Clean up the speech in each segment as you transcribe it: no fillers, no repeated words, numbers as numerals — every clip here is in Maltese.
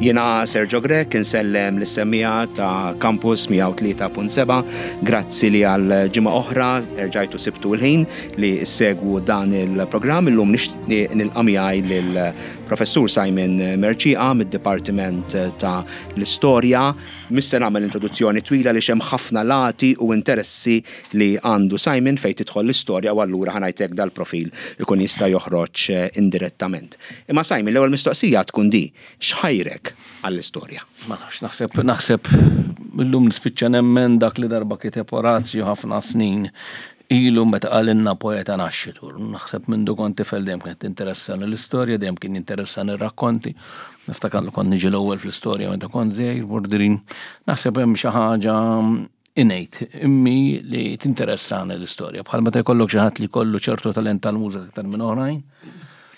Jiena Sergio Grech insellem lis-semmiegħa ta' Campus 103.7. Grazzi li għal ġimgħa oħra erġajtu sibtu l-ħin li ssegwu dan il-programm. Illum nixtieq nilqa' miegħi lil Professur Simon Mercieca mid-Dipartiment ta' l-Istorja. Mhux se nagħmel introduzzjoni twila għaliex hemm ħafna lati u interessi li għandu Simon fejn tidħol l-istorja u allura ħa ngħid hekk dal-profil ikun jista' joħroġ indirettament. Imma Simon, l-ewwel mistoqsija tkun di, x'ħajrek għall-istorja? Ma nafx, naħseb, naħseb illum nispiċċa nemmen dak li darba kiteb Orazju ħafna snin ilu meta qalilna poeta nascitur. Naħseb mindu kont tifel dejjem kienet tinteressani l-istorja, dejjem kien jinteressani r-rakkonti. Niftakar li kont niġi l-ewwel fl-istorja meta kont żgħir, bordirin. Naħseb hemm xi ħaġa innate immi li tinteressani l-istorja. Bħal meta jkollok xi ħadd li jkollu ċertu talent tal-mużika aktar minn oħrajn.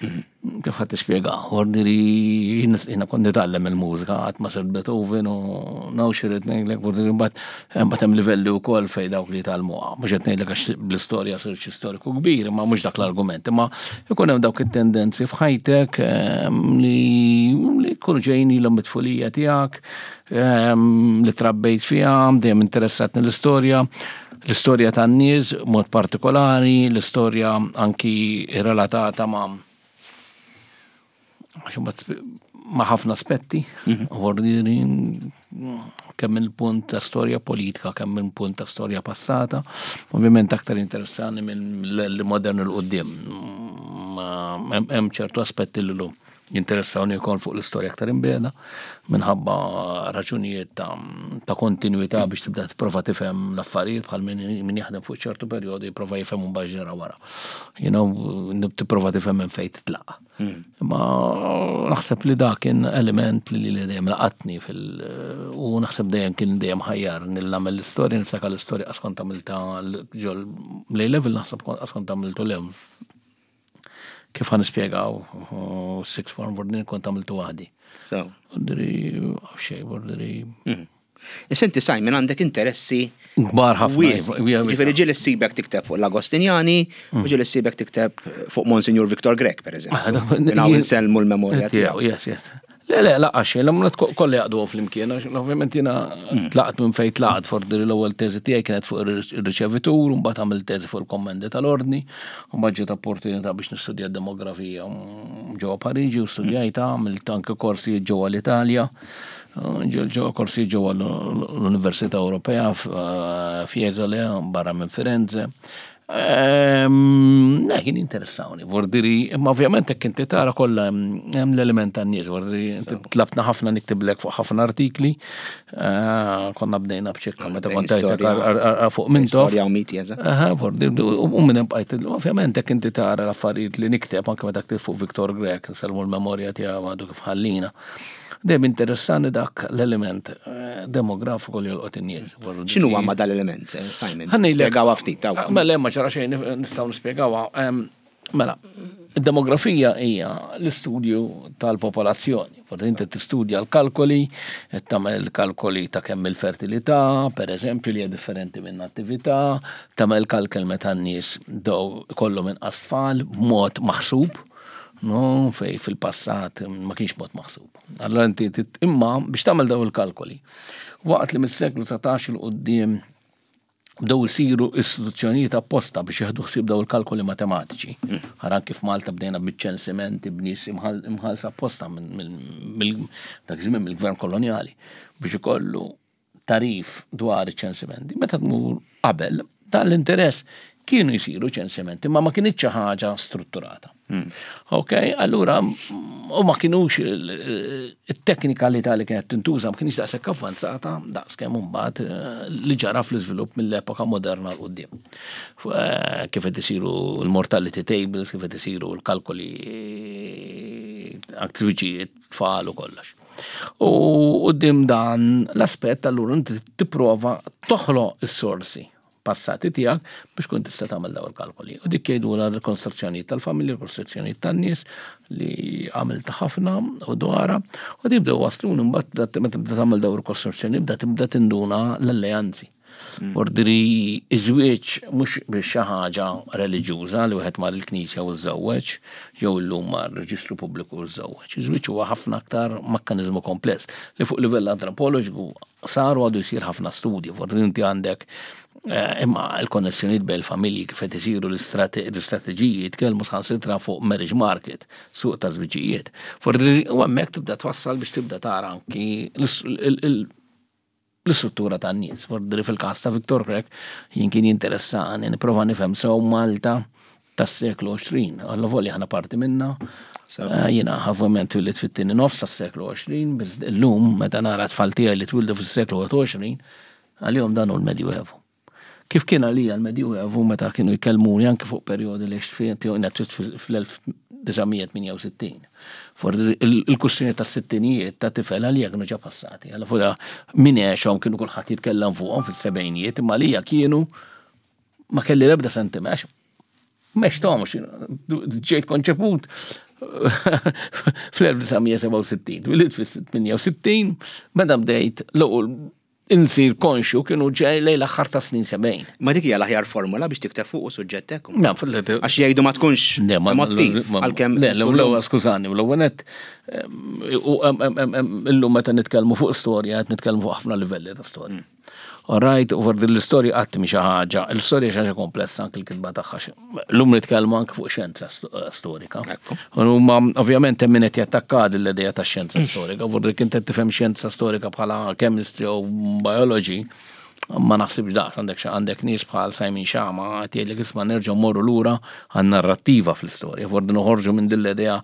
Kif ħadd tispjega, ordni li jiena kont nitgħallem il-mużika qatt ma sirt Beethoven u naw xi rid ngħidlek, ordni li mbagħad mbagħad hemm livelli wkoll fejn dawk li jitgħallmuha. Mhux qed ngħidlek għax bl-istorja sirt xi storiku kbir, imma mhux dak l-argument, imma ikun hemm dawk it-tendenzi f'ħajtek ehm, li li jkunu ġejjin ilhom mit-tfulija tiegħek, Ehm, li trabbejt fiha, dejjem interessatni l-istorja, l-istorja tan-nies mod partikolari, l-istorja anki relatata ma' ma' ħafna aspetti, mhm. ordini kemm minn punt ta' storja politika, kemm minn punt ta' storja passata, ovvjament aktar interessani minn l-modern l-qoddim. Hemm ċertu aspetti l-lum. Jinteressawni wkoll fuq l-istorja aktar imbiegħda minħabba raġunijiet ta', ta kontinwità biex tibda tipprova tifhem l-affarijiet bħal min jaħdem fuq ċertu perjodu jipprova jifhem un ġara wara. You know, tipprova tifhem minn fejn titlaq. Hmm. Imma naħseb li dak kien element li li dejjem laqatni fil u naħseb dejjem kien dejjem ħajjar nagħmel l-istorja, niftakar l-istorja qas kont għamilta ġol l level naħseb qas kont għamiltu lev Kif ħan nispjegaw, six form bordin kont għamiltu waħdi. So. Bordiri, xej, bordiri. Mhm. Issa inti Simon għandek interessi kbar ħafna. Ġifieri ġieli ssibek tikteb fuq l-Agostinjani u mm. ġieli ssibek tikteb fuq Monsignor Victor Grech, per eżempju. Ah, Naw insellmu l-memorja tiegħu. Yes, yes. Le, le, laqqa xejn, l-għamlet kollha jaqdu flimkien, għax ovvjament jiena mm. tlaqt minn fejn tlaqt, fordi l-ewwel teżi tiegħi kienet fuq ir-riċevitur, u mbagħad għamilt teżi fuq il-kommendi tal-ordni, u mbagħad ġiet opportunità biex nistudja demografija mm, ġewwa Pariġi u studjajta, għamilt anke korsijiet ġewwa l-Italja, ġewwa korsijiet ġewwa l-Università Ewropea eh, Fiesole barra minn Firenze. Ehm, le, kien interessawni, vordiri, imma ovvjament hekk inti tara kollha hemm l-element tan-nies, vordiri, tlabtna ħafna niktiblek fuq ħafna artikli, eh, konna bdejna b'ċekka meta kont fuq minn Storja u miti, eżatt. Vordiri, u minn hemm bqajt, ovvjament hekk inti tara l-affarijiet li nikteb anke meta ktib fuq Victor Grech, nsellmu l-memorja tiegħu għadu kif ħallina. Dejjem interessani dak l-element eh, demografiku li jolqot in-nies. X'inhu ma dal-element, eh, Simon? Spjegawha ftit. Ah, mela ma ċara xejn nistgħu nispjegawha. Mela, id-demografija hija l-istudju tal-popolazzjoni. Forsi inti tistudja l-kalkoli, qed tagħmel kalkoli ta' kemm il-fertilità, per eżempju, li hija differenti minn attività, tagħmel kalkol meta n-nies dow kollhom inqas tfal b'mod maħsub. No, fej fil-passat ma kienx mod maħsub. Allora inti imma biex tagħmel daw il-kalkoli. Waqt li mis-seklu 19 il qudiem bdew isiru istituzzjonijiet apposta biex jieħdu ħsieb daw il-kalkoli matematiċi. Hmm. Ħaran kif Malta bdejna biċ-ċensimenti b'nies imħallsa apposta minn dak żmien mill-gvern kolonjali biex ikollu tagħrif dwar iċ-ċensimenti. Meta tmur qabel, dan l-interess kienu jsiru ċensimenti, ma ma kinitx xi ħaġa strutturata. Hmm. Ok, allura u ma kienux it-teknikalità li kienet tintuża ma kienx daqshekk avvanzata daqs kemm imbagħad eh, li ġara fl-iżvilupp mill-epoka moderna l quddiem. Eh, kif qed isiru l-mortality tables, kif qed isiru l-kalkoli aktriċijiet tfal u kollox. U quddiem dan l-aspett allura inti tipprova toħloq is-sorsi passati tiegħek biex kun tista' tagħmel daw il-kalkoli. U dik jgħidulha rikostruzzjonijiet tal-familji, rikostruzzjonijiet tan-nies li għamilta ħafna u dwarha. U tibdew wasluni mbagħad meta tibda tagħmel daw rikostruzzjoni bda tibda tinduna l-alleanzi. Ordiri iż-żwieġ mhux biex xi ħaġa reliġjuża li wieħed mar il-knisja u żżewweġ, jew illum mar reġistru pubbliku u żżewweġ. Iż-żwieġ huwa ħafna aktar mekkaniżmu kompless li fuq livell antropoloġiku sar u għadu jsir ħafna studji. Forsi inti għandek eh, imma l-konnessjonijiet bejn il-familji kif qed isiru l-istrateġiji jitkellmu sħansitra fuq marriage market, suq ta' żwiġijiet. Forsi u hemmhekk tibda twassal biex tibda tara anki l-istruttura tan-nies. Fordri fil-każ ta' Victor Grech jien kien jinteressani nipprova nifhem sew Malta tas-seklu 20. Alla volja aħna parti minna. Eh, jiena ovvjament twilidt fit-tieni nofs tas-seklu 20, biss illum meta nara tfal tiegħi li twildu fis-seklu 21, għalihom dan hu l-Medjuevu. Kif kien għalija l-Medjuevu meta kienu jkellmuni anke fuq perjodi li fl-1968. For il-kustjoni ta' sittinijiet ta' tifel għalija kienu ġa passati. Għalla fuq min għexhom kienu kulħadd jitkellem fuqhom fis-sebgħinijiet, imma għalija kienu ma kelli l-ebda sentiment Mextomx, ġejt konċeput fl-1967, twilidt fis-68, meta bdejt l-ewwel insir konxju kienu ġej lejn l-aħħar ta' snin 70. Ma dik hija l-aħjar formula biex tikteb fuq suġġett hekk. Għax jgħidu ma tkunx emottiv għalkemm. Le, l-ewwel skużani, l-ewwel nett illum meta nitkellmu fuq storja qed nitkellmu fuq ħafna livelli ta' storja. All right, u din l-istorja qatt mhi xi ħaġa, l-istorja xi ħaġa komplessa anke l-kitba tagħha. Llum nitkellmu anke fuq xjenza storika. Huma ovvjament hemm min qed jattakka din l-idea ta' xjenza storika, vorri kien qed tifhem xjenza storika bħala chemistry u biology, ma naħsibx daqs għandek għandek nies bħal Simon Schama qed jgħidlek isma' nerġgħu morru lura għan-narrattiva fl-istorja, vorri noħorġu minn din l-idea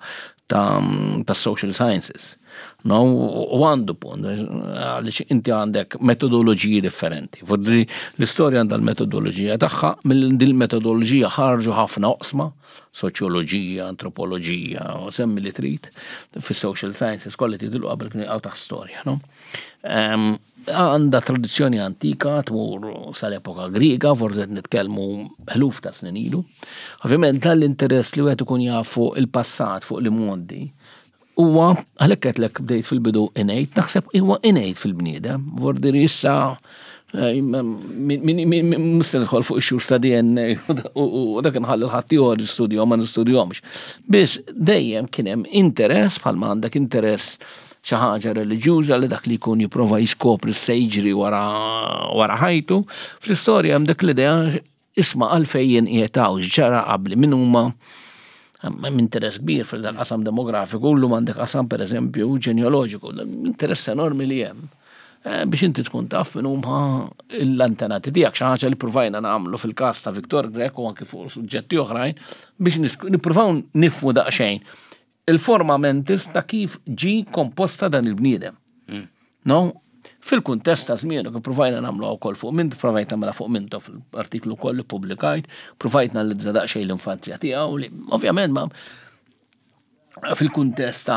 ta' social sciences. No, u għandu punt, għaliex inti għandek metodoloġiji differenti. Forsi l-istorja għandha l-metodoloġija tagħha, mill din il-metodoloġija ħarġu ħafna oqsma, soċjoloġija, antropoloġija, u semmi li trid, fis-social sciences kollha tidlu qabel kienu jaqgħu taħt storja, no? Għandha tradizzjoni antika tmur sal-epoka Griega, forsi qed nitkellmu ħluf ta' snin ilu. Ovvjament dan l-interess li wieħed ikun jaf fuq il-passat, fuq l-imgħoddi, huwa għalhekk qedlek bdejt fil-bidu innate, naħseb huwa innate fil-bniedem, vordiri issa eh, mhux se nidħol fuq ix-xhur ta' DNA u dak inħalli l-ħadd ieħor jistudjahom ma nistudjahomx. Biss dejjem kien hemm interess bħalma għandek interess xi ħaġa reliġjuża li dak li jkun jipprova jiskopri se jiġri wara wara ħajtu. Fl-istorja hemm dik l-idea isma' għalfejn jien qiegħed hawn, x'ġara qabli, min huma hemm interess kbir fil-qasam demografiku, llum għandek qasam pereżempju ġenealoġiku, interess enormi li hemm eh, biex inti tkun taf min huma l-antenati tiegħek, xi ħaġa li provajna nagħmlu fil-każ ta' Victor Grech u anki fuq suġġetti oħrajn biex nippruvaw nifhmu daqsxejn il-forma mentis ta' kif ġi komposta dan il-bniedem. Mm. No? Fil-kuntest ta' żmienu kif provajna nagħmlu wkoll fuq minn provajt nagħmilha fuq minto fil-artiklu koll li publikajt, provajt analizza daqsxejn l-infanzja tiegħu li ovvjament ma fil-kuntest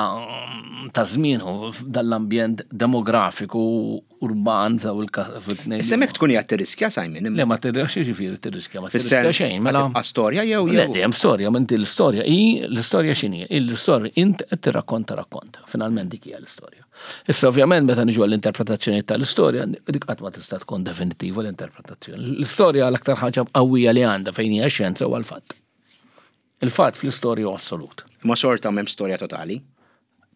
ta' żmienu dal-ambjent demografiku urban daw il-tnejn. Issa mek tkun qiegħed tirriskja Simon. Le ma tirriskja ġifieri tirriskja ma tirriskja xejn. Mela storja jew jew. Le dejjem storja, ma inti l-istorja hi l-istorja x'inhi? L-istorja int qed tirrakkonta rakkont. Finalment dik hija l-istorja. Issa ovvjament meta niġu għall-interpretazzjoni tal-istorja, dik qatt ma tista' tkun definittiva l-interpretazzjoni. L-istorja l-aktar ħaġa qawwija li għandha fejn hija xjenza huwa l-fatt. Il-fatt fl-istorja huwa assolut. Imma xorta m'hemm storja totali.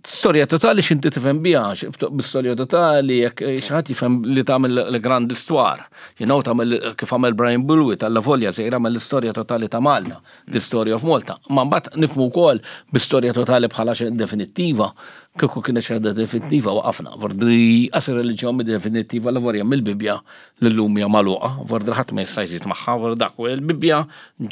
Storja totali x'inti tifhem biha, b'storja totali jekk eh, xi ħadd jifhem li tagħmel l-grand histoire. You know tagħmel kif għamel Brian Bulwi tal volja sejra għamel l-istorja totali ta' Malta, the story of Malta. Ma mbagħad nifhmu wkoll bi-storja totali bħala xi definittiva, kieku kienet xi ħaġa definittiva waqafna. Vordri qas ir-reliġjon definittiva la vorja mill-Bibbja li llum hija magħluqa, vordri ħadd ma jista' jżid magħha, vordri dak u l-Bibbja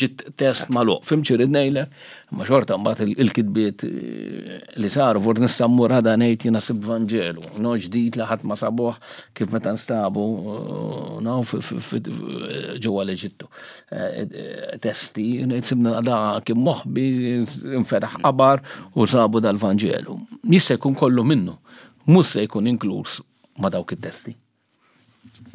ġiet test magħluq. Fhimt xi rrid ngħidlek? Imma xorta mbagħad il-kitbiet eh, li saru vordri nista' mmur għada ngħid jiena sib Vanġelu, no ġdid li ħadd ma sabuh kif meta nstabu eh, no ġewwa l-Eġittu. Eh, testi, ngħid sibna da kien moħbi, infetaħ qabar u sabu dal-Vanġelu. Jista' jkun kollu minnu, mhux se jkun inkluż ma' dawk it-testi.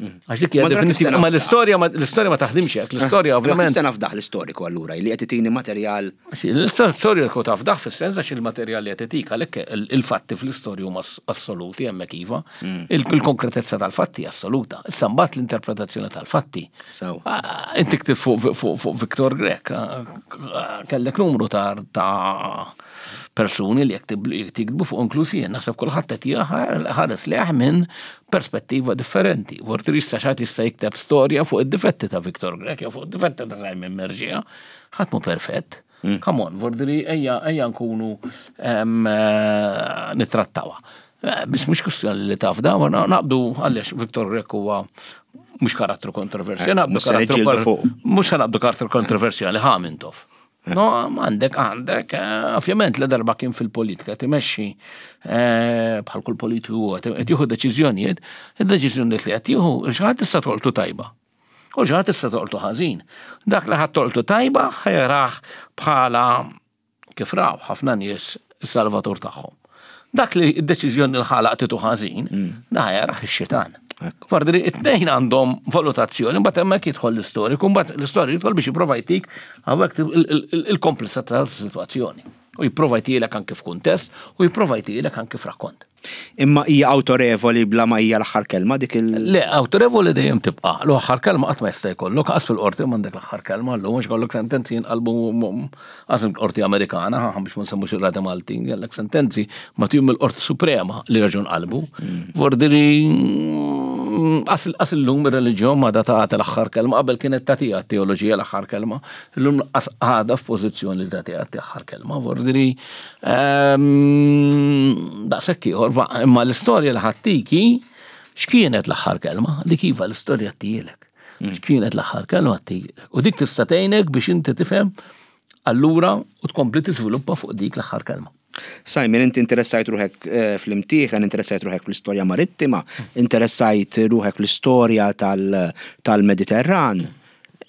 Għax dik hija definitiva. Ma l-istorja l-istorja ma taħdimx hekk, l-istorja ovvjament. Se nafdaħ l-istoriku allura li qed itini materjal. L-istorja tkun tafdaħ fis-sens għax il-materjal li qed itik għalhekk il-fatti fl-istorja huma assoluti hemmhekk iva. Mm. Il-konkretezza tal-fatti assoluta. Issa mbagħad l-interpretazzjoni tal-fatti. Ah, inti ktib fuq Victor Grek, ah, kellek numru ta' persuni li jekk tiktbu fuq inkluż jien, naħseb kulħadd qed ħares leħ minn perspettiva differenti. Vorti issa xatt jista' jikteb storja fuq id-difetti ta' Victor Grek jew fuq id-difetti ta' Simon Merġija, ħadd mu perfett. Mm. Come on, vordiri ejja ejja nkunu eh, nittrattawha. Eh, biss mhux kwestjoni li taf da, naqbdu għaliex Victor Grek huwa mhux karattru kontroversjali, eh, naqbdu karattru mhux naqbdu karattru kontroversjali ħa Mintoff. No, għandek, għandek, eh, ovvjament la darba kien fil-politika timexxi eh, bħal kull politiku qed jieħu deċiżjonijiet, id-deċiżjonijiet li qed jieħu xi ħadd tista' tolqtu tajba. U xi ħadd tista' tolqtu ħażin. Dak li ħadd tolqtu tajba ħajrah bħala kif raw ħafna nies is-salvatur tagħhom. Dak li d-deċiżjoni li ħalaq titu ħażin, mm. da jaraħ ix-xitan. Fardri, it-tnejn għandhom valutazzjoni, mbagħad hemmhekk jidħol l-istoriku, mbagħad l-istoriku jidħol biex jipprova jtik hawnhekk il-komplessità tas-sitwazzjoni. U jipprova jtilek anke f'kuntest u jipprova jtilek anke f'rakkont. Imma hija awtorevoli bla ma hija l-aħħar kelma dik il. Le, awtorevoli dejjem tibqa'. L-aħħar kelma qatt ma jista' jkollok, qas fil-qorti m'għandek l-aħħar kelma llum għax kollok sentenzi jinqalbu qas il-qorti Amerikana, ħa biex ma nsemmux ir-rati Maltin, kellek sentenzi ma tihom mill-Qorti Suprema li raġun qalbu. Mm. Vordiri qas illum ir-reliġjon ma da tagħti l-aħħar kelma, qabel kienet tagħtiha t-teoloġija l-aħħar kelma, illum qas għadha f'pożizzjoni li tagħtiha l-aħħar kelma. Vordiri Ehm, daqshekk ieħor, imma l-istorja li ħattiki x'kienet l-aħħar kelma? Dik iva l-istorja tielek. Mm. X'kienet l-aħħar kelma tielek. U dik tista' tgħinek biex inti tifhem allura u tkompli tiżviluppa fuq dik l-aħħar kelma. Simon, inti interessajt ruħek eh, fl-imtieħen, interessajt ruħek fl-istorja marittima, interessajt ruħek fl-istorja tal-Mediterran.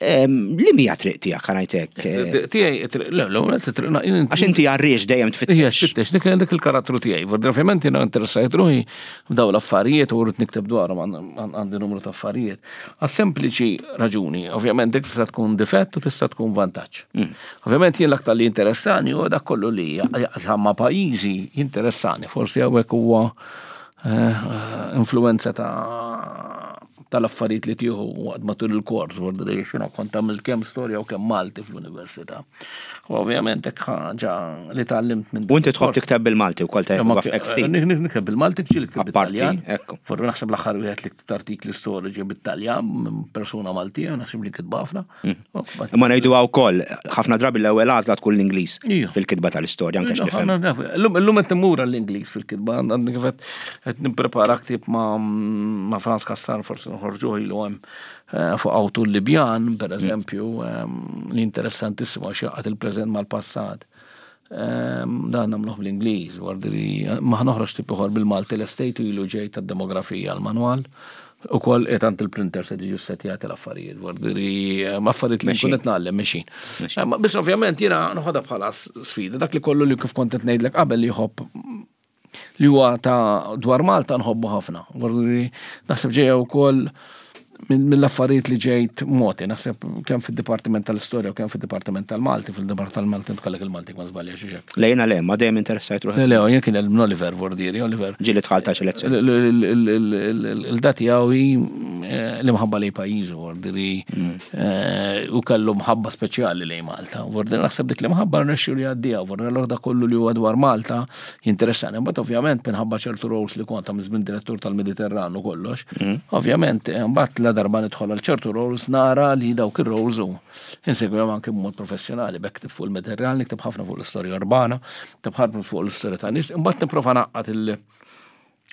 Li mija triq tiegħek ħanajtek? Eh, tiegħi triq le, l-ewwel triq Għax inti għarriex dejjem tfittex. Ija tfittex, dik dik il-karattru tiegħi. Ovvjament jiena interessajt ruħi f'daw l-affarijiet u rrid nikteb dwarhom għandi numru ta' affarijiet. Għas sempliċi raġuni, ovvjament dik tista' tkun difett u tista' tkun vantaġġ. Mm. Ovvjament jien l-aktar li interessani huwa dak kollu li jaqsam ma' pajjiżi jinteressani, forsi hawnhekk huwa eh, eh, influenza ta' tal-affarijiet li tieħu waqt matul il-kors, vordri xina kont għamilt kemm storja u kemm Malti fl-università. U ovvjament hekk ħaġa li tgħallimt minn. U inti tħobb tikteb bil-Malti wkoll ta' ftit. Nikteb bil-Malti ġieli ktib bil-Taljan. Forri naħseb l-aħħar wieħed li ktibt artikli storiċi bit-Taljan minn persuna Maltija, naħseb li kitba ħafna. Mm. Imma ngħidu wkoll ħafna drabi l-ewwel għażla tkun l-Ingliż fil-kitba tal-istorja anke x'nifhem. Illum qed immur l-Ingliż fil-kitba, għandi kif qed nipprepara ktieb ma' Franz Kassar forsi noħorġuh ilu hemm eh, fuq awtur Libjan, per mm. eżempju, ehm, li interessantissimu għax jaqgħad il-preżent mal-passat. Ehm, dan nagħmluh bl-Ingliż, wardri ma noħroġ tip ieħor bil-Malti l-estate ilu ġej tad-demografija l-manwal. U koll etant il-printer se tiġu setjati l-affarijiet, vordiri, eh, affarijiet li nkun qed ngħallem mexin. Eh, biss ovvjament jiena noħodha bħala sfida, dak li kollu li kif kont qed ngħidlek qabel li jħobb li huwa ta' dwar Malta nħobbu ħafna. Vordiri, naħseb ġejja wkoll mill-affarijiet li ġejt moti, naħseb kemm fid-Dipartiment tal-Istorja u kemm fid-Dipartiment tal-Malti, fil-Dipartiment tal-Malti tkellek il-Malti ma żbalja xi xek. Lejna le, ma dejjem interessajt ruħi. Le, jien kien minn Oliver Vordieri, Oliver. Ġieli tħalta xi lezzjoni. Il-dati għawi eh, l-imħabba lej pajjiżu, Vordieri, mm. eh, u kellu mħabba speċjali lej Malta. Vordieri naħseb dik l-imħabba rnexxu li għaddija, Vordieri l kollu li huwa dwar Malta jinteressani. Mbagħad ovvjament minħabba ċertu roles li kont għamilt minn direttur tal-Mediterran u kollox, mm. ovvjament eh, mbagħad la darba nidħol għal ċertu roles nara li dawk ir-roles u insegwihom anke b'mod professjonali, bekk fuq il-Mediterran, nikteb ħafna fuq l-istorja urbana, nikteb ħafna fuq l-istorja ta' nies, imbagħad nipprova naqqat il-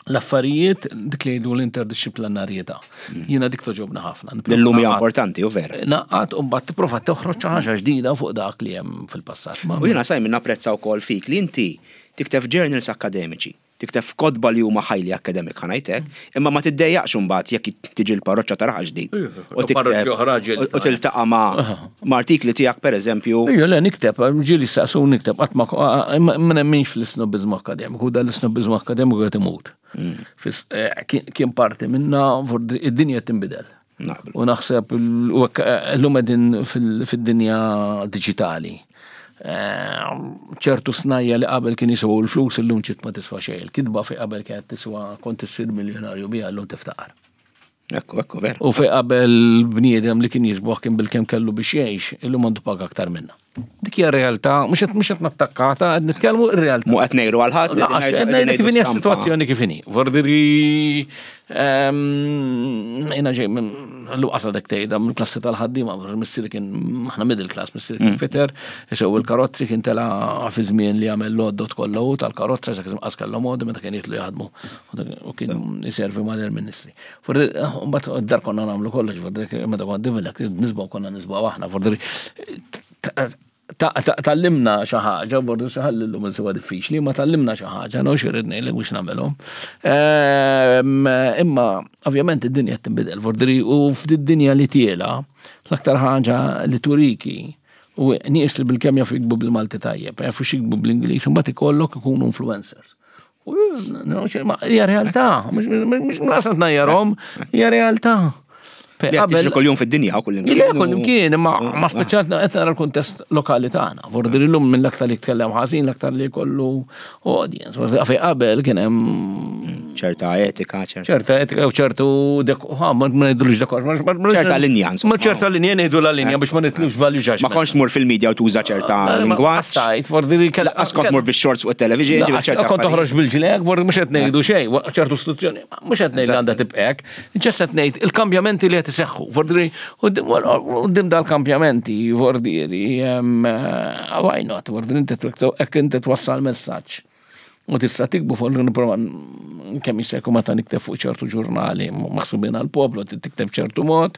l-affarijiet dik li jgħidu l-interdixxiplinarjetà. Mm. Jiena dik toġobna ħafna. Illum hija importanti u vera. Naqqat u mbagħad tipprova toħroġ xi ħaġa ġdida fuq dak li hemm fil-passat. U jiena Simon napprezza wkoll fik li inti tikteb journals akademiċi. Tikteb f'kotba li huma highly academic ħa ngħid hekk, imma ma tiddejjaqx imbagħad jekk tiġi l-parroċċa ta' Raħal Ġdid u tikteb u tiltaqa' ma' artikli tiegħek pereżempju. Ejja le nikteb, ġieli staqsuni nikteb qatt ma ma nemminx fl-isnobbiżmu akkademiku, dan l-isnobbiżmu akkademiku qed imut. Kien parti minna, id-dinja qed tinbidel. U naħseb l-lum qegħdin fid-dinja diġitali. Eh, ċertu snajja li qabel kien jiswa l-flus illum ċit ma tiswa xejn. Il-kitba fi qabel kienet tiswa kont issir miljonarju biha llum tiftaqar. Ekku, ekku, ver. U fej qabel bniedem li kien jisboħ kien bil-kem kellu biex jgħix, illum għandu paga aktar minna. Dik hija realtà, mhux qed mhux qed nattakkata, qed nitkellmu r-realtà. Mu qed ngħidu għal ħadd. Qed ngħidu kif inhi s-sitwazzjoni kif inhi. Vordiri ehm, jiena ġej minn l-qas għadek tgħidha mill-klassi tal-ħaddiema, missieri kien aħna middle class, missieri kien mm. fitter, isew il-karozzi kien tela fi żmien li għamel l-għoddot kollha hu tal-karozza, sa kien qas kellhom għoddi meta kien jitlu jaħdmu u kien iservi mal-ministri. Mbagħad dar konna nagħmlu kollox, fordri meta kont divilek, nisbaw konna nisbaw aħna, fordri tallimna xi ħaġa, fordri xi ħalli llum insiwa diffiċli, ma tallimna xi ħaġa, no xi rrid ngħidlek biex nagħmelhom. Ehm, imma ovvjament id-dinja qed tinbidel, fordri u f'did-dinja li tiela, l-aktar ħaġa li turiki u nies li bil-kemm jafu jikbu bil-Malti tajjeb, jafu xikbu bl-Ingliż, imbagħad ikollok ikunu influencers. Hija realtà, mhux naqsad najjarhom, hija realtà. Qabel kuljum fid-dinja u kullimkien. Le kullimkien, imma ma speċjalt qed nara l-kuntest lokali tagħna. Vordir illum minn l-aktar li tkellem ħażin, l-aktar li jkollu audience. Fej qabel kien hemm ċerta etika, ċerta etika u ċertu ha, ma ngħidulux dekor. Ċerta linja, Ma ċerta linja ngħidu la linja biex ma nitlux value judgment. Ma kontx tmur fil-media u tuża ċerta lingwaġġ. Stajt, vordi Lanqas kont tmur bix-shorts fuq it-television, ġifieri ċerta. Kont toħroġ bil-ġilek, vordi mhux qed ngħidu xejn, ċertu istituzzjoni, mhux qed ngħid għandha tibqek, ġest qed ngħid il-kambjamenti li qed iseħħu, vordi qudiem dal-kambjamenti, vordi why not, vordi inti hekk inti twassal messaġġ. U tista' tikbu fuq nipprova kemm jista' jkun meta nikteb fuq ċertu ġurnali maħsubin għall-poplu tikteb ċertu mod,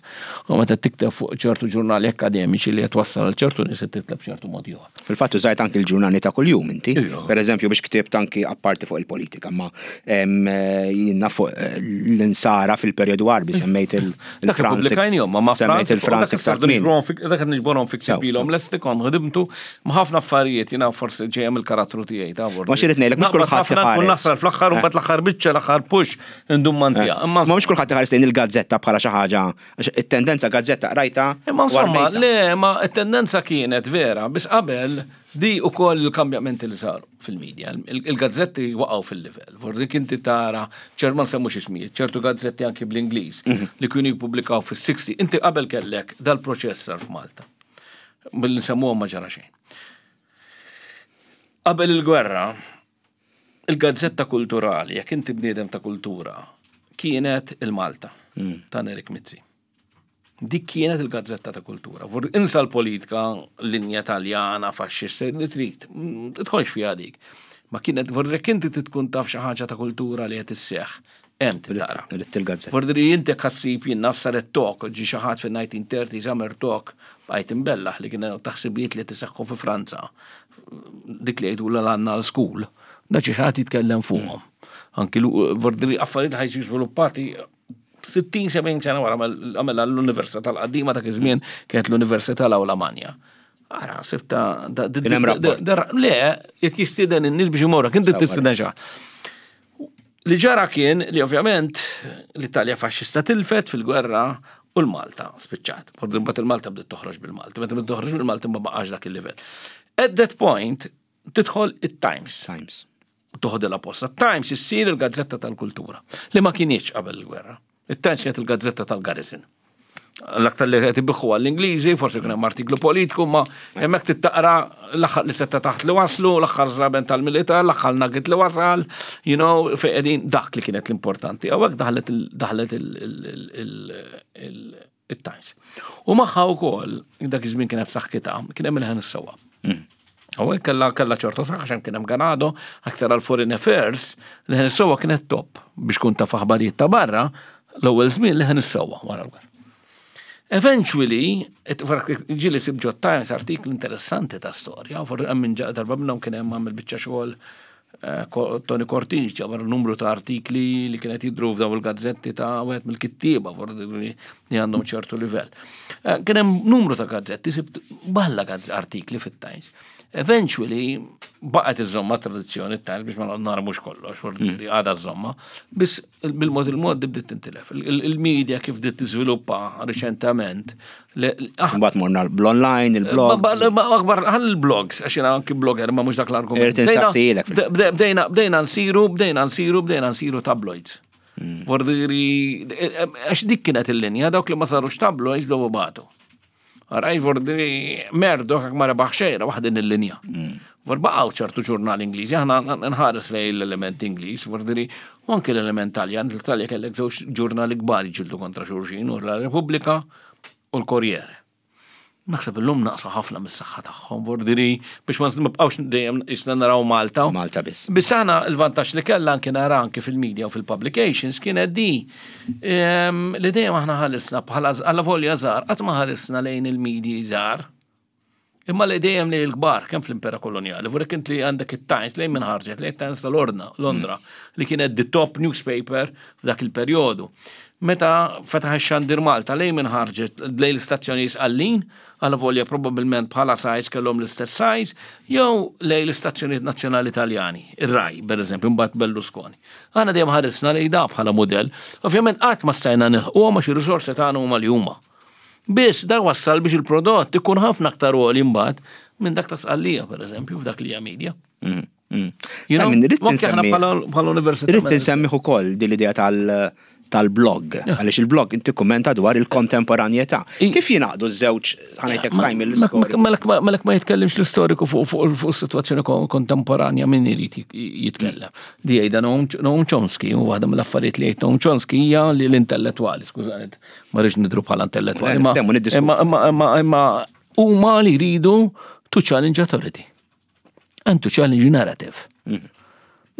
u meta tikteb fuq ċertu ġurnali akkademiċi li qed wassal għal ċertu nies tikteb ċertu mod ieħor. Fil-fatt użajt anki l-ġurnali ta' kuljum inti. Per eżempju biex ktibt anki apparti fuq il-politika, ma jiena fuq eh, l-insara fil-perjodu Għarbi semmejt il- Dak ippubblikajnihom, ma ma Semmejt il-Franz iktar kmieni. Dak qed niġborhom fi ktieb ilhom lesti kont ħdimtu ma' ħafna affarijiet jiena forsi ġejja mill-karattru tiegħi ta' Ma xi rid ngħidlek mhux kulħadd iħares. Nkun nasal fl-aħħar u mbagħad l-aħħar biċċa l-aħħar push indum mantija. Eh. Ma mhux kulħadd iħares lejn il-gazzetta bħala xi ħaġa it-tendenza gazzetta qrajta. Imma insomma, le, ma t-tendenza kienet vera, biss qabel Di ukoll il-kambjamenti li saru fil-media, il-gazzetti waqgħu fil-livell. Forsi kinti tara, ċer ma nsemmux ismijiet, ċertu gazzetti anki bl-Ingliż mhm. li kienu jippubblikaw fis-60. Inti qabel kellek dal-proċess sar f'Malta. Billi nsemmuhom ma ġara xejn. Qabel il-gwerra, il-gazzetta kulturali, jekk inti bniedem ta' kultura, kienet il-Malta mm. ta' Nerik Mizzi. Dik kienet il-gazzetta ta' kultura. Insa l-politika, linja taljana, faxxista, li trid, mm, tidħolx fiha dik. Ma kienet, vorrek inti tkun taf xi ħaġa ta' kultura li qed isseħħ, hemm titara. Il-gazzetta. Vordri inti ħassib jien naf saret tok, ġi xi ħadd fin-1930s għamel tok bqajt imbellaħ li kien taħsibijiet li tiseħħu fi Franza. Dik li jgħidu l-Annal School. Da xi ħadd jitkellem fuqhom. Anki vordri affarijiet ħajġu żviluppati 60-70 sena wara għamela l-Università tal-qadima dak iż-żmien kienet l-Università l-Awla Manja. Ara, sibta. Le, qed jistieden in-nies biex imorru, kien tistieden xa. Li ġara kien li ovvjament l-Italja faxxista tilfet fil-gwerra u l-Malta spiċċat. Mbagħad il-Malta bdiet toħroġ bil-Malta. Meta bdiet toħroġ bil-Malta ma baqax dak il-livell. At that point tidħol it-Times. Times. Toħodilha posta. Times issir il-gazzetta tal-kultura, li ma kienieċ qabel il-gwerra. Il-Times kienet il-gazzetta tal-garrison. L-aktar li qed ibiħħu għall-Ingliżi, forsi kien hemm artiklu politiku, ma hemmhekk tittaqra l-aħħar li setta taħt li waslu, l-aħħar żraben tal-militar, l-aħħar nugget li wasal, you know, fejn qegħdin dak li kienet l-importanti. Hawnhekk daħlet daħlet it-Times. U magħha wkoll, dak iż-żmien kien hemm saħħitha, kien hemm il-ħen is-sewwa. Mm. Hawnhekk kellha kellha ċertu saħħa x'hemm kien hemm Ganado, aktar għal foreign affairs, li ħen is-sewwa kienet top biex kun taf aħbarijiet ta' barra, l-ewwel żmien li ħen is-sewwa wara l-gwerra. Eventually, ġieli sib ġo Times artikli interessanti ta' storja, for hemm minn darba minnhom kien hemm għamel biċċa xogħol Tony Cortini ġabar numru ta' artikli li kienet jidru f'daw il-gazzetti ta' wieħed mill-kittieba li għandhom ċertu livell. Eh, kien hemm numru ta' gazzetti, sibt balla artikli fit-Times. Eventually, baqgħet iżomma tradizzjoni t-Times biex ma narmux kollox, mm. għadha żomma, biss bil-mod il-mod bdiet tintilef. Il-media kif bdiet tiżviluppa riċentament. Mbagħad morna bl-online, il-blog. Akbar ħall il-blogs, għax jiena anki blogger ma mhux dak l-argument. Bdejna bdejna nsiru, bdejna nsiru, bdejna nsiru tabloids. Mm. Vordiri, għax dik kienet il-linja, dawk li ma sarux tabloids dovu batu. Raj vordiri Murdoch jekk ma rebaħ xejn rebaħ din il-linja. Mm. Vor baqgħu ċertu ġurnal Ingliżi, aħna nħares lej l-element Ingliż, vordiri u anke l-element Taljan, l-Italja kellek żewġ ġurnali kbar ġildu kontra xulxin, u la Repubblika u l-Corriere. Naħseb illum naqsu ħafna mis-saħħa tagħhom, vordiri biex ma nibqgħux dejjem isna naraw Malta. Malta biss. Biss aħna l-vantaġġ li kellha anke nara anke fil-media u fil-publications kienet di Li dejjem aħna ħarisna bħala għalla volja żgħar, qatt ma ħarisna lejn il-medji żgħar. Imma li dejjem lejn il-kbar, kemm fl-impera koloniali, vurek int li għandek it-Times lejn minn ħarġet, lejn it-Times tal-Ordna, Londra, mm. li kienet the top newspaper f'dak il-perjodu. Meta fetaħ ix-xandir Malta lejn minn ħarġet lejn l-istazzjoni Sqallin, Alavolja probabbilment bħala size kellhom l-istess size, jew lejn l-istazzjonijiet nazzjonali Taljani, ir-Rai, pereżempju, imbagħad Berlusconi. Aħna dejjem ħarisna lejn da bħala mudell. Ovvjament qatt ma stajna nilħquhom għax ir-riżorsi tagħna huma li huma. Biss da wassal biex il-prodott ikun ħafna aktar għoli imbagħad minn dak ta' Sqallija, pereżempju, f'dak li hija media. Mm, mm. You know, bħala università. Irrid insemmiħ ukoll din l-idea tal- tal-blog, għaliex il-blog inti kummenta dwar il-kontemporanjetà. Kif jingħaqdu ż-żewġ ħanajtek Simon l-istoriku? Malek ma jitkellimx l-istoriku fuq is-sitwazzjoni kontemporanja min irid jitkellem. Di jgħidha Noam Chomsky, u waħda mill-affarijiet li jgħid Noam Chomsky hija li l-intellettwali, skużani, ma rridx nidru bħala intellettwali, imma imma huma li jridu to challenge authority. And to challenge narrative. Mm.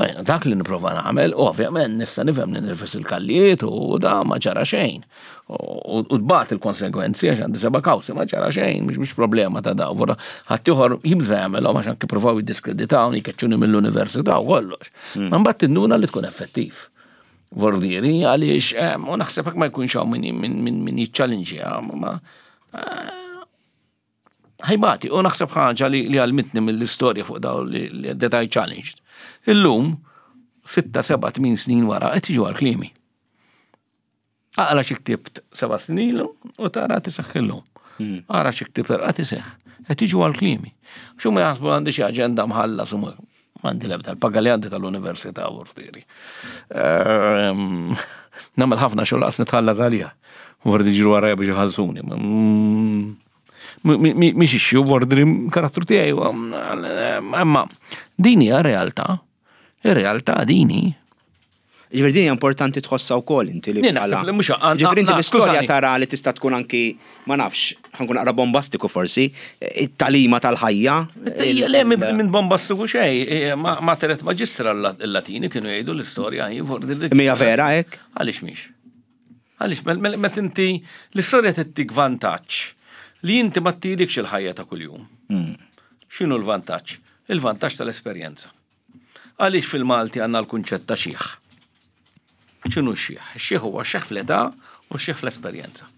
Mela, dak li niprofa nagħmel, u ovvjament nista' nifhem li nirfes il-kallijiet u da ma ġara xejn. U tbat il-konsegwenzi għax għandi seba' kawsi ma ġara xejn, mhux mhux problema ta' daw. Vora ħadd ieħor jibża jagħmelhom għax anke provaw jiddiskreditawni, jkeċċuni mill-università u kollox. Mm. Ma mbagħad tinduna li tkun effettiv. Vordieri għaliex eh, u naħseb hekk ma jkunx hawn min min jiċċalinġja ma eh, ħajbati, u naħseb ħaġa li, li għalmitni mill-istorja fuq daw li, li that I challenged. Illum, 6, 7, 8 snin wara, qed jiġu għal-klimi. Aqra xi ktibt seba' snin ilu u tara tiseħħ illum. Hmm. Ara xi ktibt tara tiseħħ. Qed jiġu għal-klimi. Xu ma jaħsbu għandi xi aġenda mħallas u Għandi l-ebda l-paga li għandi tal-università vortieri. Ehm, nagħmel ħafna xogħol qas nitħallas għalija. Vordi ġru għarajja biex iħallsuni. Mm, mhix issue, vordi karattru tiegħi. Imma din hija realtà. Ir-realtà dini Ġifieri din hija importanti tħossha wkoll inti li bħala. Ġifieri inti l-istorja tara li tista' tkun anki ma nafx, ħankun naqra bombastiku forsi, it-talima tal-ħajja. Le minn bombastiku xejn, e, ma teret maġistra l-Latini kienu jgħidu l-istorja hi Mija vera hekk? Għaliex mhix? Għaliex meta inti l-istorja tittik vantaġġ li inti ma ttilikx il-ħajja ta' kuljum. Hmm. X'inhu l-vantaġġ? Il-vantaġġ tal-esperjenza. Għaliex fil-Malti għandna l-kunċett ta' xiħ? X'inhu x-xiħ? Ix-xiħ huwa xiħ fl-età u xiħ fl-esperjenza.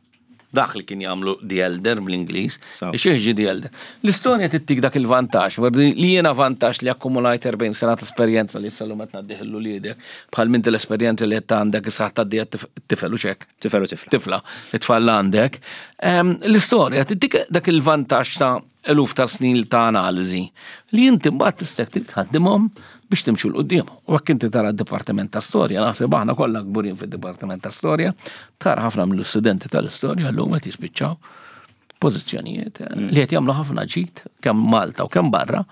Dak li kien jagħmlu the elder bl-Ingliż, ix-xiħ ġi the elder. L-istorja tittik dak il-vantaġġ, li jiena vantaġġ li akkumulajt 40 sena ta' esperjenza li sal-lum qed ngħaddih lil uliedek, bħal minti l-esperjenza li qed għandek issa tgħaddiha tifel u xek. Tifel u tifla. Tifla, it-tfal għandek. Ehm, l-istorja tittik dak il-vantaġġ ta' eluf ta' snin ta' analiżi li inti mbagħad tista' trid tħaddimhom biex timxu 'l quddiem. U hekk inti tara d-Dipartiment ta' Storja, naħseb aħna kollha kburin fid-Dipartiment ta' Storja, tara ħafna mill-istudenti tal-istorja llum qed jispiċċaw pożizzjonijiet eh, mm. li qed jagħmlu ħafna ġid kemm Malta u kemm barra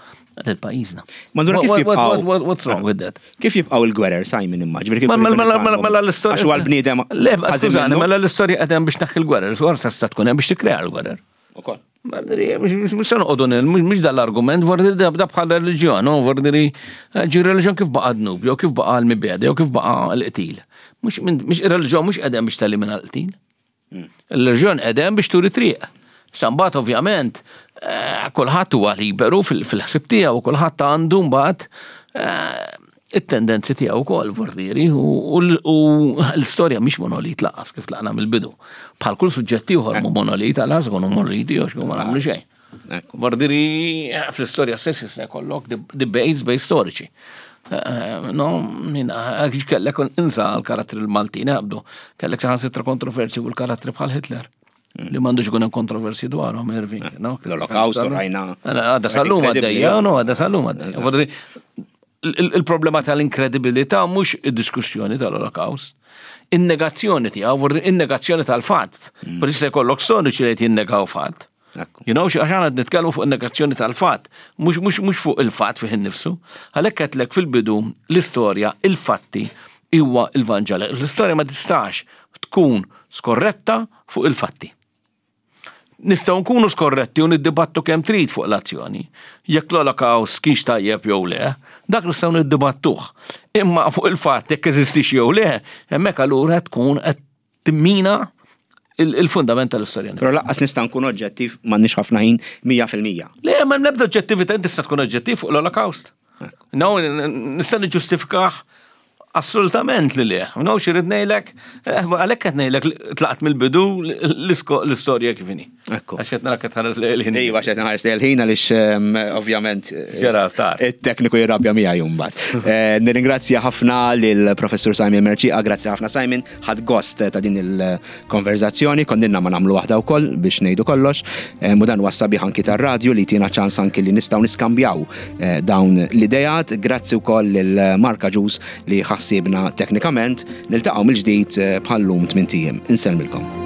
lil pajjiżna. Ma allura kif jibqgħu What's wrong with that? Kif jibqgħu il-gwerer Simon imma? Ġifieri kif Mela mela, mela, mela l-istorja. Għax huwa l-bniedem. Le, skużani, mela l-istorja qed hemm biex tneħħi l-gwerer, tista' tkun hemm biex tikkrea l-gwerer. Ukoll. Mux se noqogħdu mhux dal-argument, vordi da bħal reliġjon, no, vordi li eh, ġi reliġjon kif baqa' dnub, jew kif baqa' l-mibeda, jew kif baqa' l-qtil. Mhux ir-reliġjon mhux qegħdem biex telimina l-qtil. Hmm. Il-reliġjon qegħdem biex turi triq. Sambat ovvjament eh, kulħadd huwa liberu fil-ħsib tiegħu, kulħadd għandu mbagħad eh, it-tendenzi tiegħu wkoll vordieri u l-istorja mhix monolit laqas kif tlaqna mill-bidu. Bħal kull suġġett ieħor mu monolit għal ikunu monoliti jew x'kunu ma nagħmlu xejn. Vordieri fl-istorja stess jista' jkollok debates bej storiċi. Eh, no, minna, kellek insa l-karattri l-Maltin għabdu, kellek saħansitra kontroversi u l-karattri bħal Hitler. Li m'għandux ikun hemm kontroversi dwarhom, Irving. Eh, no? L-Olokawst rajna. Għadha sal-lum għaddejja, no, għadha sal-lum għaddejja. Il-problema tal-inkredibilità mhux id-diskussjoni tal-Olokawst. In-negazzjoni tiegħu, in-negazzjoni tal-fatt. Mm. Per jista' jkollok storiċi li qed jinnegaw fatt. You know, għax għandna nitkellmu fuq in-negazzjoni tal-fatt, mhux mhux mhux fuq il-fatt fih innifsu. Għalhekk qedlek fil-bidu l-istorja, il-fatti huwa il-Vanġel. L-istorja ma tistax tkun skorretta fuq il-fatti. Nistgħu nkunu skorretti u niddibattu kemm trid fuq l-azzjoni. Jekk l-Olokawst kienx tajjeb jew le, dak nistgħu niddibattuh. Imma fuq il-fatt jekk eżistix jew le, hemmhekk allura tkun qed timmina il-fundament tal-istorja. Però laqqas nista' nkun oġġettiv m'għandniex ħafna ħin 100%. Le, ma nebda oġġettività tista' tkun oġġettiv fuq l-Olokawst. No, nista' niġġustifikah assolutament li le. No, xi ngħidlek, eh, għalhekk qed ngħidlek tlaqt mill-bidu l-istorja kif inhi. Ekku. Għax qed narak qed tħares lejn il-ħin. Iva, għax qed nħares lejn il-ħin għaliex ehm, ovvjament eh, Ġerard tar. it-tekniku jirrabja miegħi mbagħad. Eh, nirringrazzja ħafna lill-Professur Simon Mercieca, grazzi ħafna Simon, ħadt gost ta' din il-konverzazzjoni, kondinna ma nagħmlu waħda wkoll biex ngħidu kollox, eh, u dan huwa sabiħ anki tar-radju li tina ċans anki li nistgħu niskambjaw eh, dawn l-idejat. Grazzi wkoll lil Mark Agius li ħassibna teknikament. Niltaqgħu mill-ġdid eh, bħal-lum tmint ijiem. Insellmilkom.